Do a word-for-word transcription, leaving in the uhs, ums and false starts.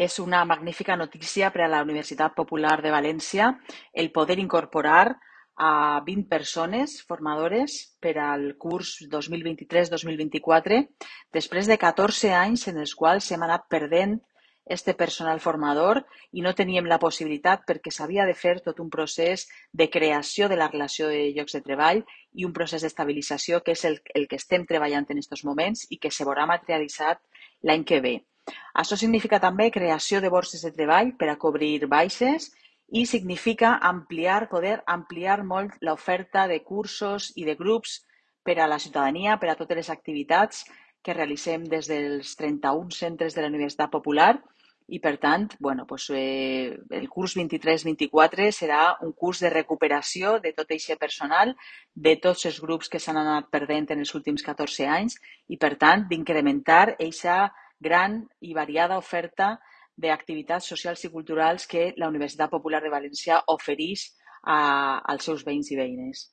És una magnífica notícia per a la Universitat Popular de València el poder incorporar a vint persones formadores per al curs dos mil vint-i-tres dos mil vint-i-quatre, després de catorze anys en els quals hem anat perdent este personal formador i no teníem la possibilitat perquè s'havia de fer tot un procés de creació de la relació de llocs de treball i un procés d'estabilització que és el, el que estem treballant en aquests moments i que se veurà materialitzat l'any que ve. Això significa també creació de borses de treball per a cobrir baixes i significa ampliar, poder ampliar molt l'oferta de cursos i de grups per a la ciutadania, per a totes les activitats que realitzem des dels trenta-un centres de la Universitat Popular i, per tant, bueno, doncs, eh, el curs vint-i-tres vint-i-quatre serà un curs de recuperació de tot aquest personal, de tots els grups que s'han anat perdent en els últims catorze anys i, per tant, d'incrementar aquesta gran i variada oferta d'activitats socials i culturals que la Universitat Popular de València ofereix a, als seus veïns i veïnes.